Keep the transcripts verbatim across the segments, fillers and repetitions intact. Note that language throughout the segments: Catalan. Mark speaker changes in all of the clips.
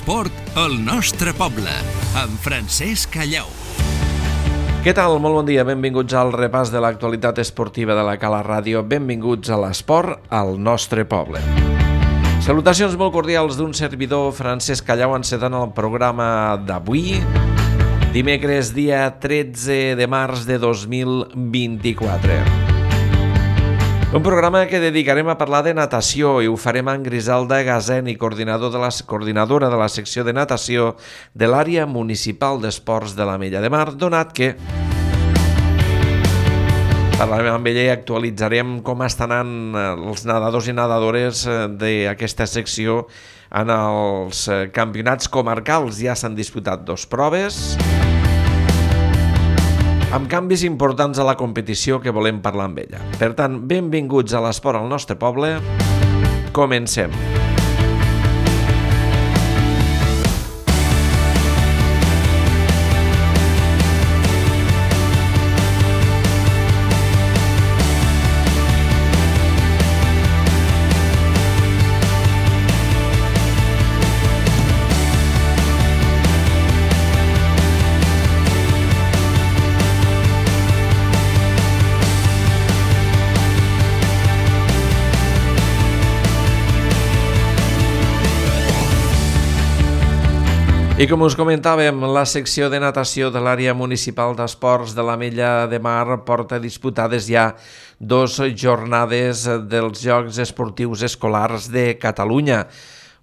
Speaker 1: L'esport al nostre poble, amb Francesc Callau.
Speaker 2: Què tal? Molt bon dia, benvinguts al repàs de l'actualitat esportiva de la Cala Ràdio. Benvinguts a l'esport al nostre poble. Salutacions molt cordials d'un servidor, Francesc Callau, encetant el programa d'avui, dimecres, dia tretze de març de dos mil vint-i-quatre. Un programa que dedicarem a parlar de natació i ho farem amb Griselda Gazeni, coordinador de la, coordinadora de la secció de natació de l'àrea municipal d'esports de l'Ametlla de Mar, donat que parlarem amb ella i actualitzarem com estan anant els nedadors i nedadores d'aquesta secció en els campionats comarcals. Ja s'han disputat dos proves, amb canvis importants a la competició que volem parlar amb ella. Per tant, benvinguts a l'esport al nostre poble. Comencem. I com us comentàvem, la secció de natació de l'àrea municipal d'esports de l'Ametlla de Mar porta disputades ja dos jornades dels Jocs Esportius Escolars de Catalunya.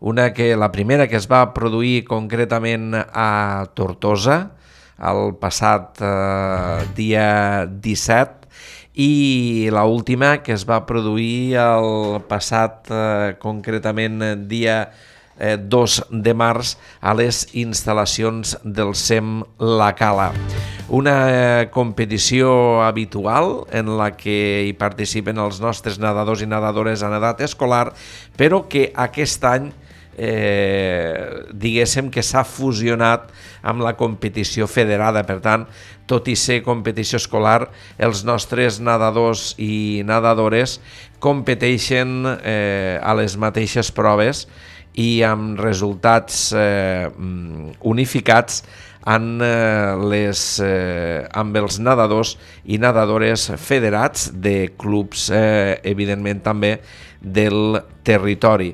Speaker 2: Una que, la primera que es va produir concretament a Tortosa, el passat eh, dia disset, i l'última que es va produir el passat eh, concretament dia Eh, dos de març a les instal·lacions del S E M La Cala. Una eh, competició habitual en la que hi participen els nostres nedadors i nedadores en edat escolar, però que aquest any eh, diguéssim que s'ha fusionat amb la competició federada. Per tant, tot i ser competició escolar, els nostres nedadors i nedadores competeixen eh, a les mateixes proves i amb resultats eh, unificats en, eh, les, eh, amb els nedadors i nedadores federats de clubs, eh, evidentment també del territori.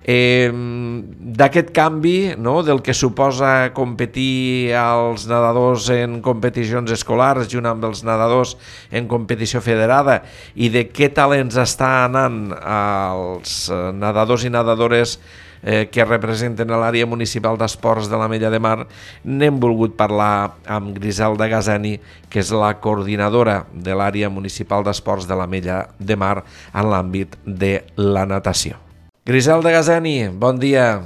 Speaker 2: Eh, d'aquest canvi, no, del que suposa competir als nedadors en competicions escolars junt amb els nedadors en competició federada i de què talents està anant als nedadors i nedadores eh, que representen a l'àrea municipal d'esports de l'Ametlla de Mar, n'hem volgut parlar amb Griselda Gazeni, que és la coordinadora de l'àrea municipal d'esports de l'Ametlla de Mar en l'àmbit de la natació. Griselda Gazeni, bon dia.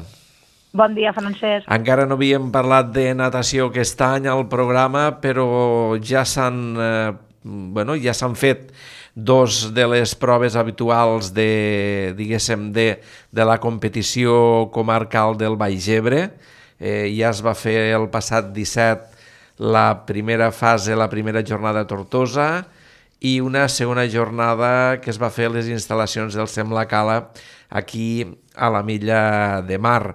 Speaker 3: Bon dia, Francesc.
Speaker 2: Encara no havíem parlat de natació aquest any al programa, però ja s'han eh, bueno, ja s'han fet dos de les proves habituals de, diguéssim, de, de la competició comarcal del Baix Ebre. Eh, ja es va fer el passat disset la primera fase, la primera jornada a Tortosa, i una segona jornada que es va fer a les instal·lacions del S E M La Cala aquí a l'Ametlla de Mar.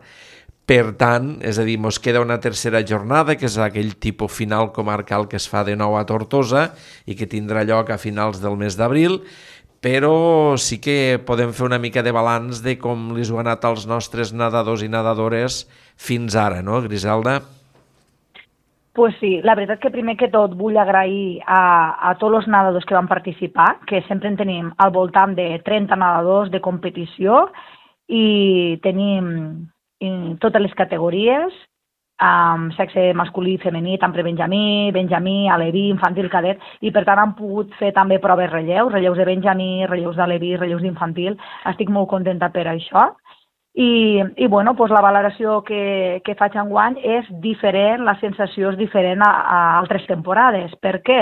Speaker 2: Per tant, és a dir, ens queda una tercera jornada, que és aquell tipus final comarcal que es fa de nou a Tortosa i que tindrà lloc a finals del mes d'abril, però sí que podem fer una mica de balanç de com li ho han anat als nostres nedadors i nedadores fins ara, no, Griselda?
Speaker 3: Pues sí, la veritat que primer que tot vull agrair a, a tots els nedadors que van participar, que sempre en tenim al voltant de trenta nedadors de competició i tenim en totes les categories, amb sexe masculí i femení, tant per Benjamí, Benjamí, Aleví, infantil, cadet, i per tant han pogut fer també proves relleus, relleus de Benjamí, relleus d'Aleví, relleus d'infantil. Estic molt contenta per això. I, i bueno, doncs la valoració que, que faig enguany és diferent, la sensació és diferent a, a altres temporades. Per què?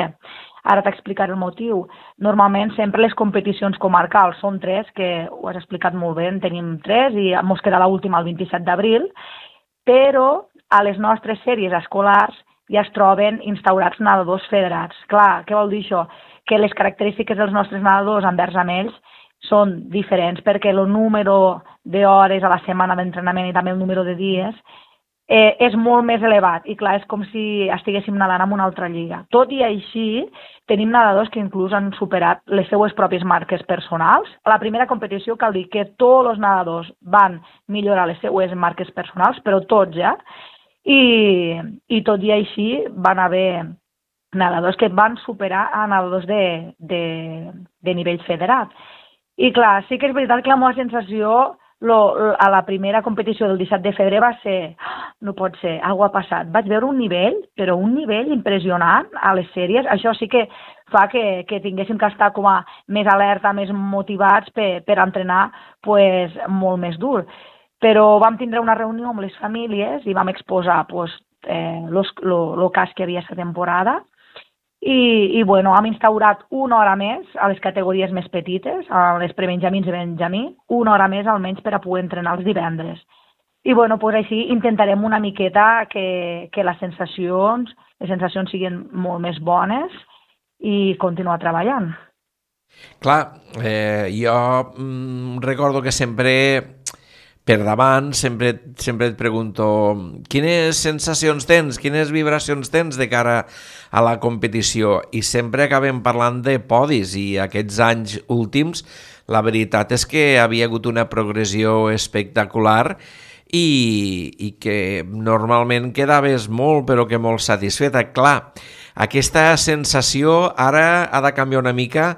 Speaker 3: Ara t'explicaré el motiu. Normalment sempre les competicions comarcals són tres, que ho has explicat molt bé, en tenim tres i ens queda l'última el vint-i-set d'abril, però a les nostres sèries escolars ja es troben instaurats nedadors federats. Clar, què vol dir això? Que les característiques dels nostres nedadors envers amb ells són diferents, perquè el número d'hores a la setmana d'entrenament i també el número de dies eh, és molt més elevat i clar, és com si estiguéssim nedant en una altra lliga. Tot i així, tenim nedadors que inclús han superat les seues pròpies marques personals. A la primera competició cal dir que tots els nedadors van millorar les seues marques personals, però tots ja, i, i tot i així van haver nedadors que van superar a nedadors de, de, de nivell federat. I clar, sí que és veritat que la meva sensació Lo, a la primera competició del disset de febrer va ser, no pot ser, alguna ha passat. Vaig veure un nivell, però un nivell impressionant a les sèries. Això sí que fa que, que tinguéssim que estar com a més alerta, més motivats per, per entrenar pues, molt més dur. Però vam tindre una reunió amb les famílies i vam exposar pues, eh, los, lo, lo cas que havia aquesta temporada. I, i bueno, hem instaurat una hora més a les categories més petites, a les prebenjamins i benjamí, una hora més almenys per a poder entrenar els divendres. I bueno, pues així intentarem una miqueta que, que les sensacions, les sensacions siguin molt més bones i continuar treballant.
Speaker 2: Clar, eh, jo mm, recordo que sempre per davant sempre, sempre et pregunto quines sensacions tens, quines vibracions tens de cara a la competició, i sempre acabem parlant de podis, i aquests anys últims la veritat és que havia hagut una progressió espectacular i, i que normalment quedaves molt però que molt satisfeta. Clar, aquesta sensació ara ha de canviar una mica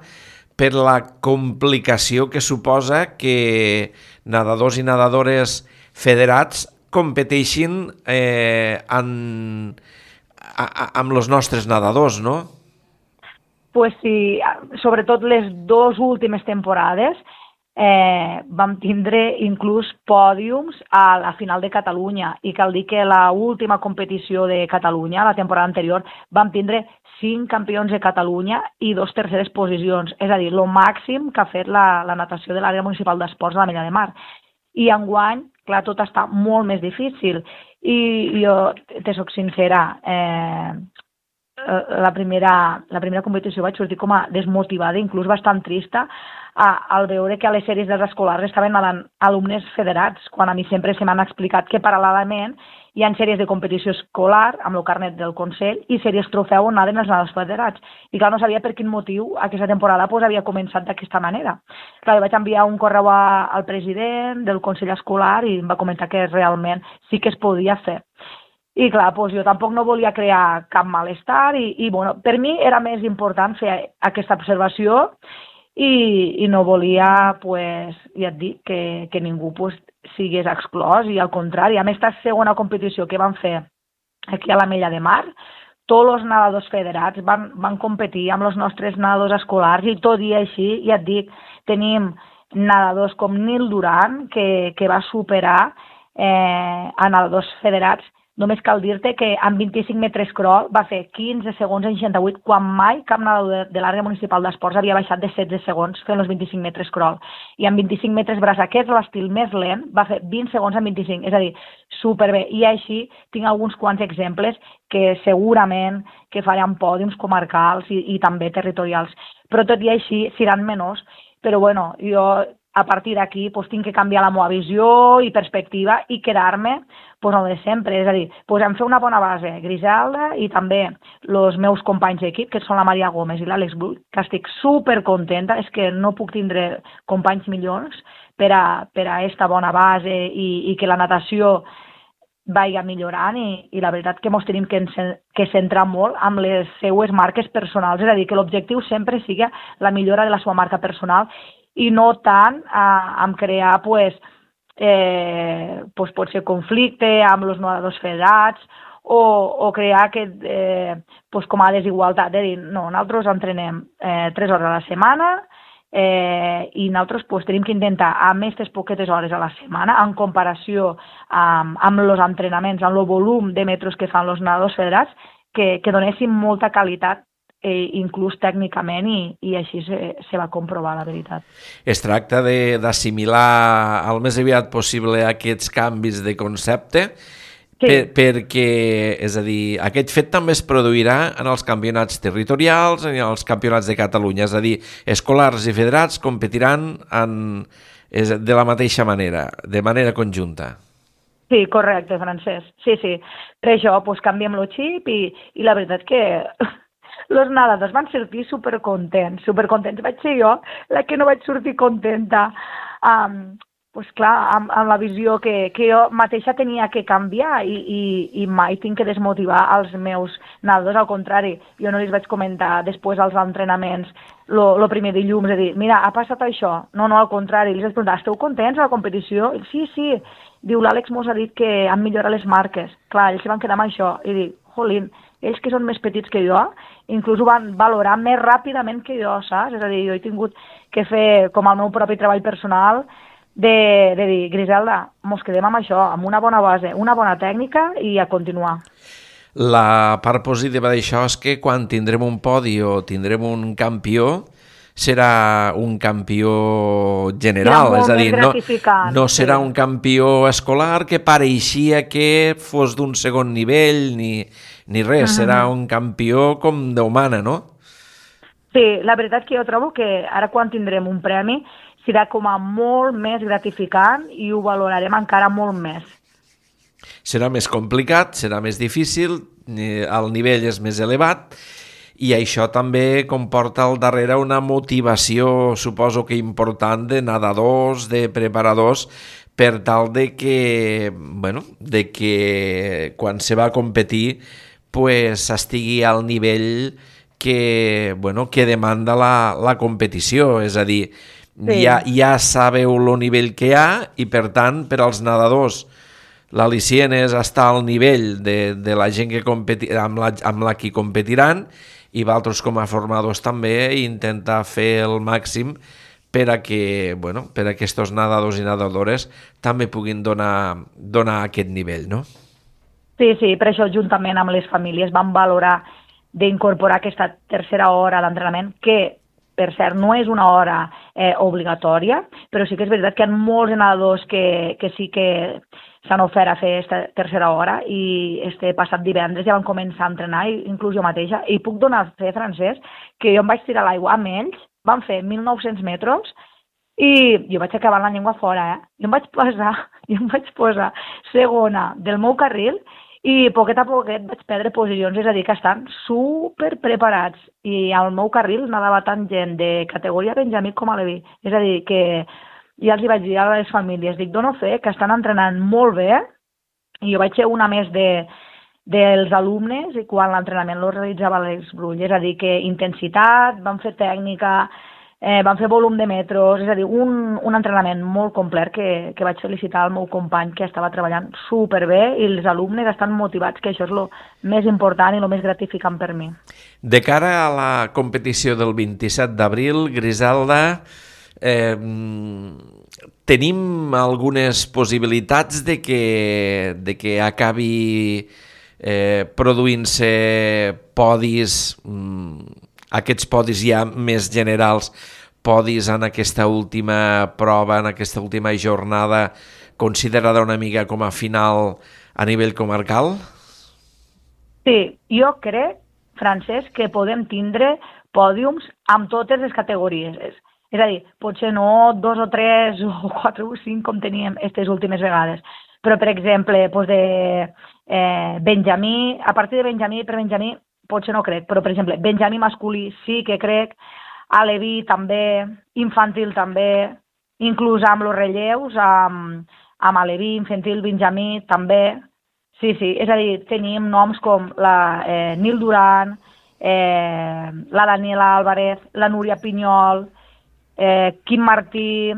Speaker 2: per la complicació que suposa que nedadors i nedadores federats competeixin eh, en, a, a, amb els nostres nedadors, no?
Speaker 3: Pues sí, sobretot les dues últimes temporades eh, vam tindre inclús pòdiums a la final de Catalunya, i cal dir que la última competició de Catalunya, la temporada anterior, vam tindre cinc campions de Catalunya i dos terceres posicions, és a dir, el màxim que ha fet la, la natació de l'àrea municipal d'esports de l'Ametlla de Mar. I enguany, clar, tot està molt més difícil. I jo, te soc sincera, eh, la, primera, la primera competició vaig sortir com a desmotivada, inclús bastant trista, a, al veure que a les sèries dels escolars estaven nedant alumnes federats, quan a mi sempre se m'han explicat que paral·lelament hi ha sèries de competició escolar amb el carnet del Consell i sèries trofeu on naden els nedadors federats. I clar, no sabia per quin motiu aquesta temporada pues, havia començat d'aquesta manera. Clar, vaig enviar un correu a, al president del Consell Escolar i em va comentar que realment sí que es podia fer. I clar, doncs jo tampoc no volia crear cap malestar i, i bueno, per mi era més important fer aquesta observació i, i no volia, pues, ja et dic, que, que ningú pues, sigués exclòs, i al contrari, a aquesta segona competició que vam fer aquí a l'Ametlla de Mar, tots els nedadors federats van, van competir amb els nostres nedadors escolars, i tot i així, ja et dic, tenim nedadors com Nil Duran, que, que va superar eh, a nedadors federats. Només cal dir-te que en vint-i-cinc metres crawl va fer quinze segons en seixanta-vuit, quan mai cap nedador de, de l'àrea municipal d'esports havia baixat de setze segons fent els vint-i-cinc metres crawl. I en vint-i-cinc metres braçaquets, l'estil més lent, va fer vint segons en vint-i-cinc, és a dir, superbé. I així tinc alguns quants exemples que segurament que faran pòdiums comarcals i, i també territorials. Però tot i així seran menors. Però bueno, jo a partir d'aquí pues, tinc que canviar la meva visió i perspectiva i quedar-me pues, no de sempre. És a dir, pues, em fer una bona base, Griselda, i també els meus companys d'equip, que són la Maria Gómez i l'Àlex Bull, que estic supercontenta, és que no puc tindre companys millors per a, per a esta bona base i, i que la natació vagi millorant, i, i la veritat que ens tenim que, que centrar molt amb les seues marques personals, és a dir, que l'objectiu sempre sigui la millora de la seva marca personal i no tant a, a crear pues, eh, pues, pot ser conflicte amb els nedadors federats o, o crear aquest, eh, pues, com a desigualtat, de dir, no, nosaltres entrenem eh, tres hores a la setmana eh, i nosaltres pues, tenim que intentar amb aquestes poquetes hores a la setmana, en comparació amb, amb els entrenaments, amb el volum de metres que fan els nedadors federats, que, que donessin molta qualitat, eh, inclús tècnicament, i, i així se, se va comprovar, la veritat.
Speaker 2: Es tracta d'assimilar al més aviat possible aquests canvis de concepte, sí. per, perquè, és a dir, aquest fet també es produirà en els campionats territorials, en els campionats de Catalunya, és a dir, escolars i federats competiran en, és, de la mateixa manera, de manera conjunta.
Speaker 3: Sí, correcte, Francesc. Sí, sí. Per això, doncs, canviem el xip i, i la veritat que els nedadors van sortir supercontents, supercontents. Vaig ser jo la que no vaig sortir contenta. Um, pues clar, amb, amb la visió que, que jo mateixa tenia que canviar i, i, i mai tinc que desmotivar els meus nedadors, al contrari, jo no els vaig comentar després als entrenaments el primer dilluns, de dir, mira, ha passat això, no, no, al contrari, els vaig preguntar, esteu contents a la competició? I, sí, sí, diu, l'Àlex mos ha dit que han millorat les marques, clar, ells se van quedar amb això, i dic, jolín, ells que són més petits que jo, inclús ho van valorar més ràpidament que jo, saps? És a dir, jo he tingut que fer com el meu propi treball personal, De, de dir, Griselda, mos quedem amb això, amb una bona base, una bona tècnica i a continuar.
Speaker 2: La part positiva d'això és que quan tindrem un podi o tindrem un campió, serà un campió general, és a dir, no, no serà sí. un campió escolar que pareixia que fos d'un segon nivell ni, ni res, uh-huh. serà un campió com Déu mana, no?
Speaker 3: Sí, la veritat que jo trobo que ara quan tindrem un premi serà com a molt més gratificant i ho valorarem encara molt més.
Speaker 2: Serà més complicat, serà més difícil, el nivell és més elevat i això també comporta al darrere una motivació, suposo que important, de nedadors, de preparadors, per tal de que, bueno, de que quan se va a competir pues, estigui al nivell que, bueno, que demanda la, la competició, és a dir, Sí. Ja, ja sabeu el nivell que hi ha i, per tant, per als nedadors l'al·licient és estar al nivell de, de la gent que competi, amb, la, amb la qui competiran i vosaltres com a formadors també intentar fer el màxim per a que, bueno, per a que aquests nedadors i nedadores també puguin donar, donar aquest nivell, no?
Speaker 3: Sí, sí, per això juntament amb les famílies vam valorar d'incorporar aquesta tercera hora d'entrenament que per cert, no és una hora eh, obligatòria, però sí que és veritat que hi ha molts nedadors que, que sí que s'han ofert a fer aquesta tercera hora i este passat divendres ja van començar a entrenar, inclús jo mateixa, i puc donar fe, Francesc, que jo em vaig tirar a l'aigua amb ells, van fer mil nou-cents metres i jo vaig acabar la llengua fora, eh? Jo em vaig posar, jo em vaig posar segona del meu carril i poquet a poquet vaig perdre posicions, és a dir, que estan super preparats i al meu carril nadava tant gent de categoria Benjamí com a Leví, és a dir, que ja els hi vaig dir a les famílies, dic, dono fe que estan entrenant molt bé i jo vaig ser una més de, dels alumnes i quan l'entrenament lo realitzava l'Àlex Brull, és a dir, que intensitat, van fer tècnica, Eh, van fer volum de metros, és a dir, un, un entrenament molt complet que, que vaig felicitar al meu company que estava treballant superbé i els alumnes estan motivats, que això és el més important i el més gratificant per mi.
Speaker 2: De cara a la competició del vint-i-set d'abril, Griselda, eh, tenim algunes possibilitats de que, de que acabi eh, produint-se podis, aquests podis ja més generals, podis en aquesta última prova, en aquesta última jornada, considerada una mica com a final a nivell comarcal?
Speaker 3: Sí, jo crec, Francesc, que podem tindre pòdiums amb totes les categories. És, és a dir, potser no dos o tres o quatre o cinc com teníem aquestes últimes vegades, però, per exemple, doncs de eh, Benjamí, a partir de Benjamí per Benjamí, potser no crec, però, per exemple, Benjamí masculí sí que crec, Aleví també, infantil també, inclús amb els relleus, amb, amb Aleví, infantil, Benjamí també. Sí, sí, és a dir, tenim noms com la eh, Nil Duran, eh, la Daniela Álvarez, la Núria Pinyol, eh, Quim Martí,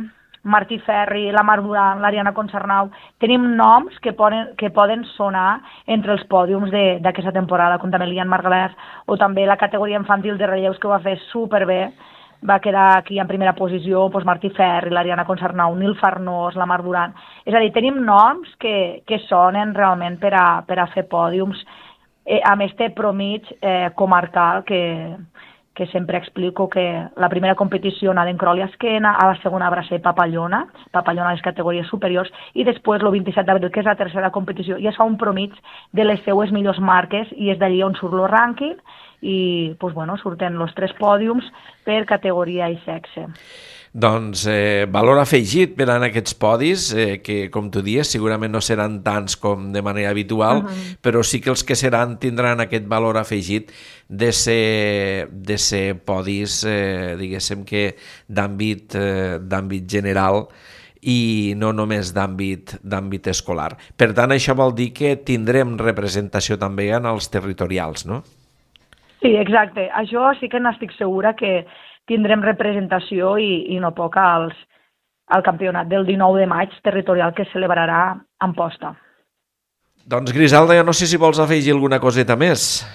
Speaker 3: Martí Ferri, la Mar Duran, l'Ariana Concernau. Tenim noms que poden, que poden sonar entre els pòdiums d'aquesta temporada, com també l'Ian Margalef, o també la categoria infantil de relleus que ho va fer superbé. Va quedar aquí en primera posició doncs Martí Ferri, l'Ariana Concernau, Nil Farnós, la Mar Duran. És a dir, tenim noms que, que sonen realment per a, per a fer pòdiums eh, amb este promig eh, comarcal que, que sempre explico que la primera competició anava en Crol i Esquena, a la segona va ser Papallona, Papallona a les categories superiors, i després el vint-i-set d'abril, que és la tercera competició, ja es fa un promig de les seues millors marques i és d'allí on surt el rànquing, i pues, bueno, surten els tres pòdiums per categoria i sexe.
Speaker 2: Doncs eh, valor afegit per en aquests podis, eh, que com tu dius segurament no seran tants com de manera habitual, uh-huh. però sí que els que seran tindran aquest valor afegit de ser, de ser podis, eh, diguéssim que d'àmbit eh, d'àmbit general i no només d'àmbit d'àmbit escolar. Per tant, això vol dir que tindrem representació també en els territorials, no?
Speaker 3: Sí, exacte. Això sí que n'estic segura que tindrem representació i, i no poc als, al campionat del dinou de maig territorial que es celebrarà a Amposta.
Speaker 2: Doncs Griselda, jo no sé si vols afegir alguna coseta més.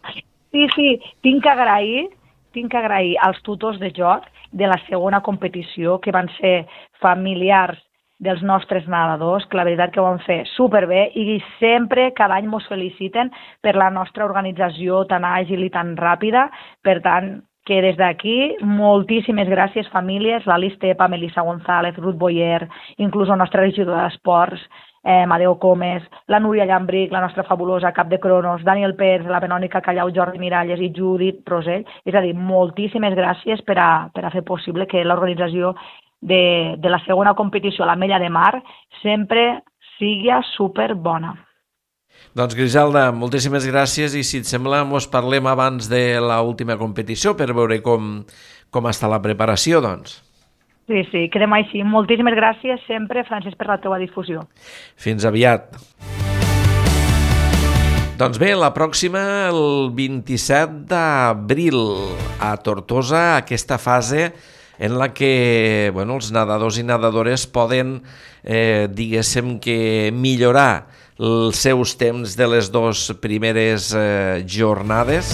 Speaker 3: Sí, sí, tinc que agrair, tinc que agrair als tutors de joc de la segona competició, que van ser familiars dels nostres nedadors, que la veritat que ho van fer superbé i sempre, cada any, mos feliciten per la nostra organització tan àgil i tan ràpida. Per tant, que des d'aquí, moltíssimes gràcies, famílies, l'Alice Tepa, Melissa González, Ruth Boyer, inclús la nostra regidora d'Esports, eh, Madeo Comes, la Núria Llambric, la nostra fabulosa cap de cronos, Daniel Pérez, la Benònica Callau, Jordi Miralles i Judit Rosell. És a dir, moltíssimes gràcies per a, per a fer possible que l'organització de, de la segona competició a l'Ametlla de Mar sempre sigui superbona.
Speaker 2: Doncs Griselda, moltíssimes gràcies i si et sembla mos parlem abans de l'última competició per veure com, com està la preparació, doncs.
Speaker 3: Sí, sí, quedem així. Moltíssimes gràcies sempre, Francesc, per la teva difusió.
Speaker 2: Fins aviat. Doncs bé, la pròxima, el vint-i-set d'abril, a Tortosa, aquesta fase en la que bueno, els nedadors i nedadores poden, eh, diguéssim que millorar els seus temps de les dues primeres eh, jornades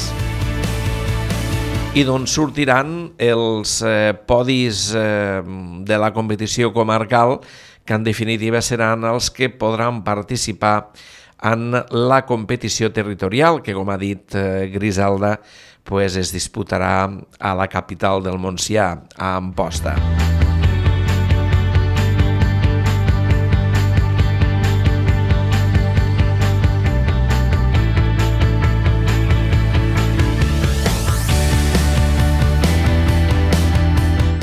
Speaker 2: i d'on sortiran els eh, podis eh, de la competició comarcal, que en definitiva seran els que podran participar en la competició territorial, que com ha dit eh, Griselda, pues es disputarà a la capital del Montsià, a Amposta.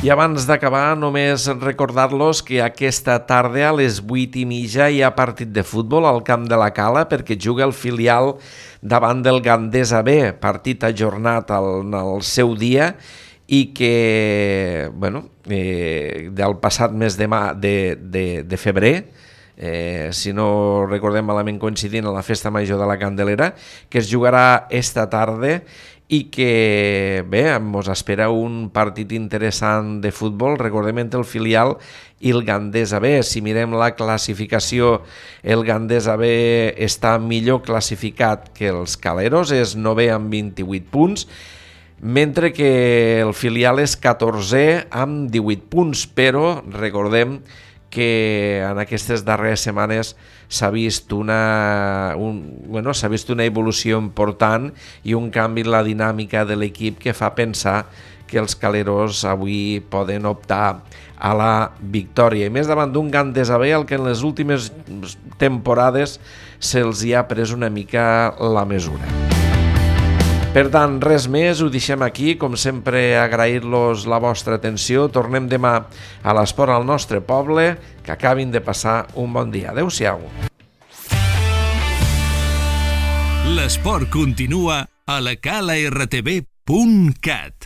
Speaker 2: I abans d'acabar, només recordar-los que aquesta tarda a les vuit i mitja hi ha partit de futbol al Camp de la Cala perquè juga el filial davant del Gandesa B, partit ajornat al, al seu dia i que, bueno, eh, del passat mes de, ma, de, de, de febrer, eh, si no recordem malament coincidint a la Festa Major de la Candelera, que es jugarà esta tarda i que, bé, ens espera un partit interessant de futbol, recordem, entre el filial i el Gandesa B. Si mirem la classificació, el Gandesa B està millor classificat que els Caleros, és novè amb vint-i-vuit punts, mentre que el filial és catorzè amb divuit punts, però recordem que en aquestes darreres setmanes s'ha vist una, un, bueno, s'ha vist una evolució important i un canvi en la dinàmica de l'equip que fa pensar que els Caleros avui poden optar a la victòria. I més davant d'un Gandesa B, el que en les últimes temporades se'ls hi ha pres una mica la mesura. Per tant, res més, ho deixem aquí. Com sempre, agrair-los la vostra atenció. Tornem demà a l'Esport al nostre poble. Que acabin de passar un bon dia. Adéu-siau.
Speaker 1: L'esport continua a la cala r t v punt cat.